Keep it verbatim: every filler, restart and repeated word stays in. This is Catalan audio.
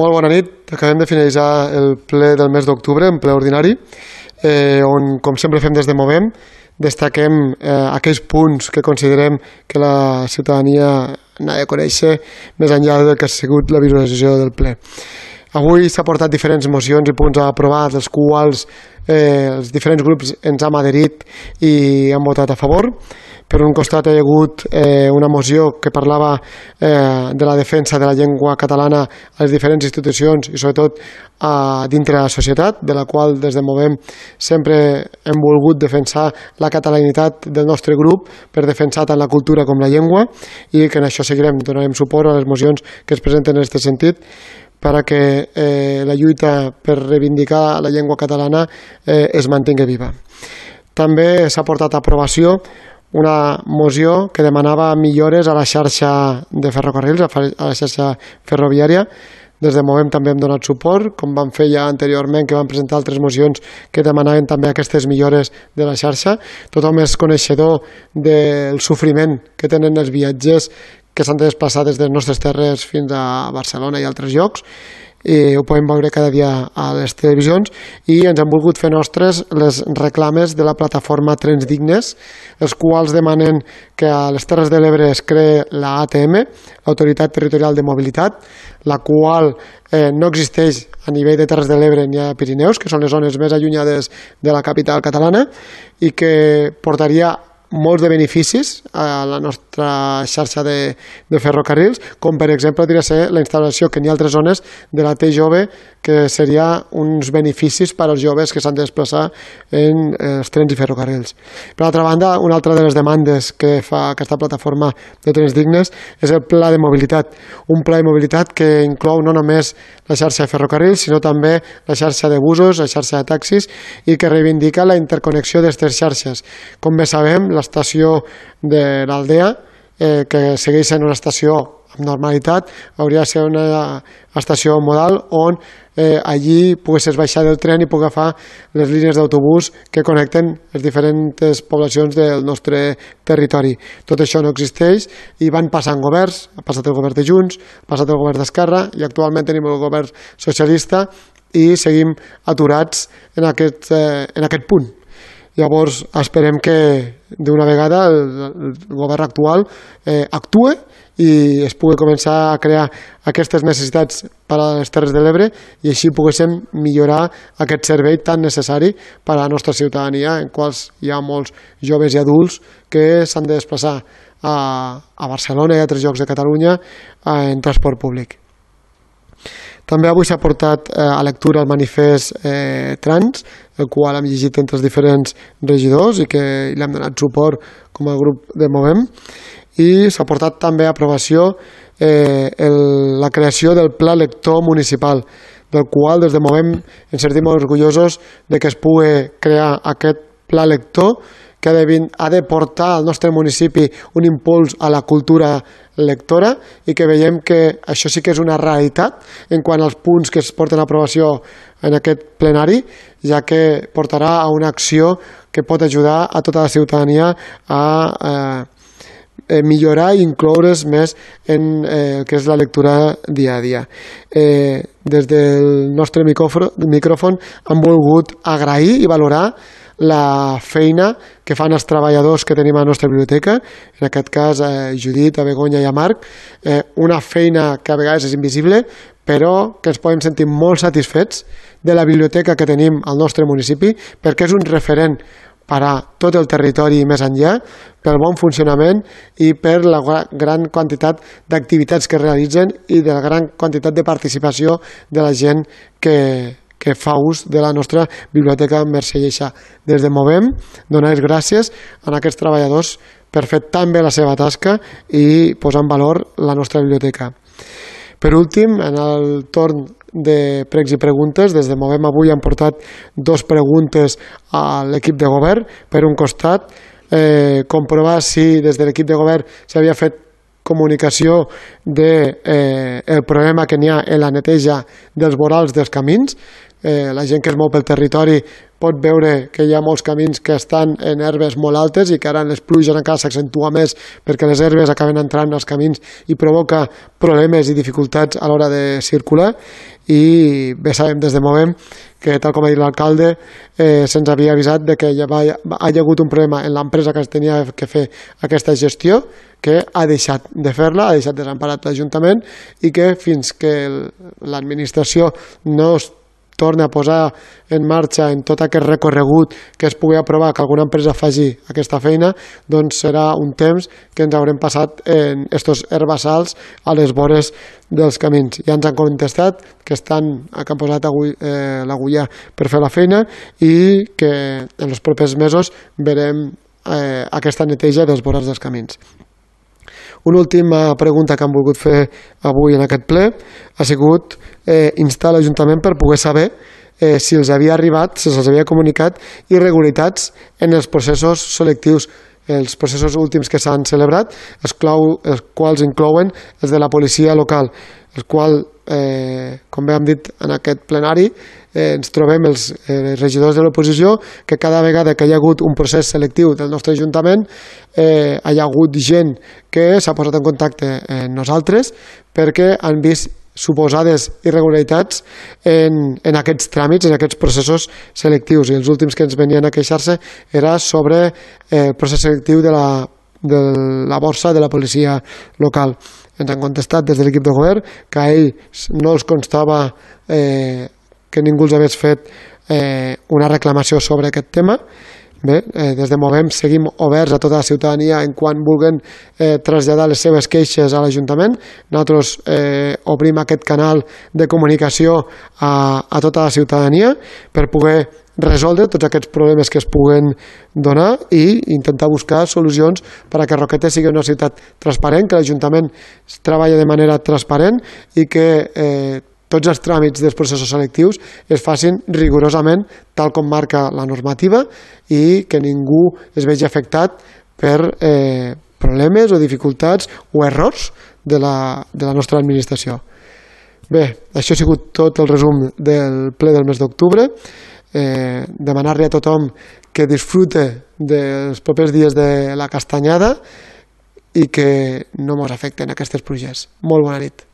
Molt bona nit. Acabem de finalitzar el ple del mes d'octubre, en ple ordinari, eh, on, com sempre fem des de Movem, destaquem eh, aquells punts que considerem que la ciutadania n'ha de conèixer més enllà del que ha sigut la visualització del ple. Avui s'ha portat diferents mocions i punts a aprovar, dels quals eh, els diferents grups ens hem adherit i han votat a favor. Per un costat hi ha hagut eh, una moció que parlava eh, de la defensa de la llengua catalana a les diferents institucions i sobretot a, dintre de la societat, de la qual des de Movem sempre hem volgut defensar la catalanitat del nostre grup per defensar tant la cultura com la llengua, i que en això seguirem, donarem suport a les mocions que es presenten en aquest sentit, perquè eh, la lluita per reivindicar la llengua catalana eh, es mantingui viva. També s'ha portat a aprovació una moció que demanava millores a la xarxa de ferrocarrils, a la xarxa ferroviària. Des de Movem també hem donat suport, com vam fer ja anteriorment, que vam presentar altres mocions que demanaven també aquestes millores de la xarxa. Tothom és coneixedor del sofriment que tenen els viatgers que s'han de desplaçar des de les nostres terres fins a Barcelona i altres llocs, i ho podem veure cada dia a les televisions, i ens han volgut fer nostres les reclames de la plataforma Trens Dignes, els quals demanen que a les Terres de l'Ebre es creï la A T M, l'Autoritat Territorial de Mobilitat, la qual eh, no existeix a nivell de Terres de l'Ebre ni a Pirineus, que són les zones més allunyades de la capital catalana, i que portaria molts de beneficis a la nostra xarxa de, de ferrocarrils, com per exemple podria ser la instal·lació que n'hi ha altres zones de la T jove, que seria uns beneficis per als joves que s'han de desplaçar en els trens i ferrocarrils. Per altra banda, una altra de les demandes que fa aquesta plataforma de Trens Dignes és el pla de mobilitat, un pla de mobilitat que inclou no només la xarxa de ferrocarrils, sinó també la xarxa de busos, la xarxa de taxis, i que reivindica la interconnexió d'aquestes xarxes. Com bé sabem, l'estació de l'Aldea, eh, que segueix sent una estació amb normalitat, hauria de ser una estació modal on eh, allí poguessis baixar del tren i poder agafar les línies d'autobús que connecten les diferents poblacions del nostre territori. Tot això no existeix i van passant governs, ha passat el govern de Junts, ha passat el govern d'Esquerra i actualment tenim el govern socialista i seguim aturats en aquest, eh, en aquest punt. Llavors esperem que d'una vegada el, el govern actual eh, actue i es pugui començar a crear aquestes necessitats per a les Terres de l'Ebre i així poguéssim millorar aquest servei tan necessari per a la nostra ciutadania, en quals hi ha molts joves i adults que s'han de desplaçar a, a Barcelona i a altres llocs de Catalunya en transport públic. També avui s'ha portat eh, a lectura el manifest eh, trans, el qual hem llegit entre els diferents regidors i que li hem donat suport com a grup de Movem, i s'ha portat també a aprovació eh, el, la creació del Pla Lector Municipal, del qual des de Movem ens sentim molt orgullosos de que es pugui crear aquest Pla Lector que ha de, ha de portar al nostre municipi un impuls a la cultura lectora, i que veiem que això sí que és una realitat en quant als punts que es porten a aprovació en aquest plenari, ja que portarà a una acció que pot ajudar a tota la ciutadania a eh, millorar i incloure's més en eh, el que és la lectura dia a dia. Eh, des del nostre micròfon hem volgut agrair i valorar la feina que fan els treballadors que tenim a la nostra biblioteca, en aquest cas eh, Judit, a Begoña i a Marc, eh, una feina que a vegades és invisible, però que ens podem sentir molt satisfets de la biblioteca que tenim al nostre municipi, perquè és un referent per a tot el territori i més enllà, pel bon funcionament i per la gran quantitat d'activitats que realitzen i de la gran quantitat de participació de la gent que que fa ús de la nostra biblioteca Mercè Lleixà. Des de Movem, donar les gràcies a aquests treballadors per fer tan bé la seva tasca i posar en valor la nostra biblioteca. Per últim, en el torn de pregs i preguntes, des de Movem avui han portat dues preguntes a l'equip de govern. Per un costat, eh, comprovar si des de l'equip de govern s'havia fet comunicació del de, eh, problema que n'hi ha en la neteja dels vorals dels camins. Eh, la gent que es mou pel territori pot veure que hi ha molts camins que estan en herbes molt altes i que ara en les pluges encara s'accentua més perquè les herbes acaben entrant als camins i provoca problemes i dificultats a l'hora de circular. I bé sabem des de Movem que, tal com ha dit l'alcalde, eh, se'ns havia avisat de que hi havia, ha hagut un problema en l'empresa que tenia que fer aquesta gestió, que ha deixat de fer-la, ha deixat desemparat l'Ajuntament i que fins que l'administració no es torna a posar en marxa en tot aquest recorregut que es pugui aprovar que alguna empresa faci aquesta feina, doncs serà un temps que ens haurem passat en estos herbassals a les vores dels camins. Ja ens han contestat que estan que han posat eh, l'agulla per fer la feina i que en els propers mesos verem eh, aquesta neteja dels vorals dels camins. Una última pregunta que han volgut fer avui en aquest ple ha sigut eh, instar l'Ajuntament per poder saber eh, si els havia arribat, si se'ls havia comunicat irregularitats en els processos selectius, els processos últims que s'han celebrat, els, clau, els quals inclouen els de la policia local, el qual, eh, com bé hem dit en aquest plenari, eh, ens trobem els eh, regidors de l'oposició que cada vegada que hi ha hagut un procés selectiu del nostre Ajuntament eh, hi ha hagut gent que s'ha posat en contacte amb nosaltres perquè han vist suposades irregularitats en, en aquests tràmits, en aquests processos selectius, i els últims que ens venien a queixar-se era sobre eh, el procés selectiu de la, de la borsa de la policia local. Ens han contestat des de l'equip de govern que a ells no els constava eh, que ningú els hagués fet eh, una reclamació sobre aquest tema. Bé, eh, des de Movem seguim oberts a tota la ciutadania en quan vulguen eh, traslladar les seves queixes a l'Ajuntament. Nosaltres eh, obrim aquest canal de comunicació a, a tota la ciutadania per poder resoldre tots aquests problemes que es puguen donar i intentar buscar solucions per a que Roquetes sigui una ciutat transparent, que l'Ajuntament treballa de manera transparent i que eh, tots els tràmits dels processos selectius es facin rigorosament tal com marca la normativa i que ningú es vegi afectat per eh, problemes o dificultats o errors de la, de la nostra administració. Bé, això ha sigut tot el resum del ple del mes d'octubre. Eh, demanar-li a tothom que disfrute dels propers dies de la castanyada i que no ens afecten aquestes pluges. Molt bona nit.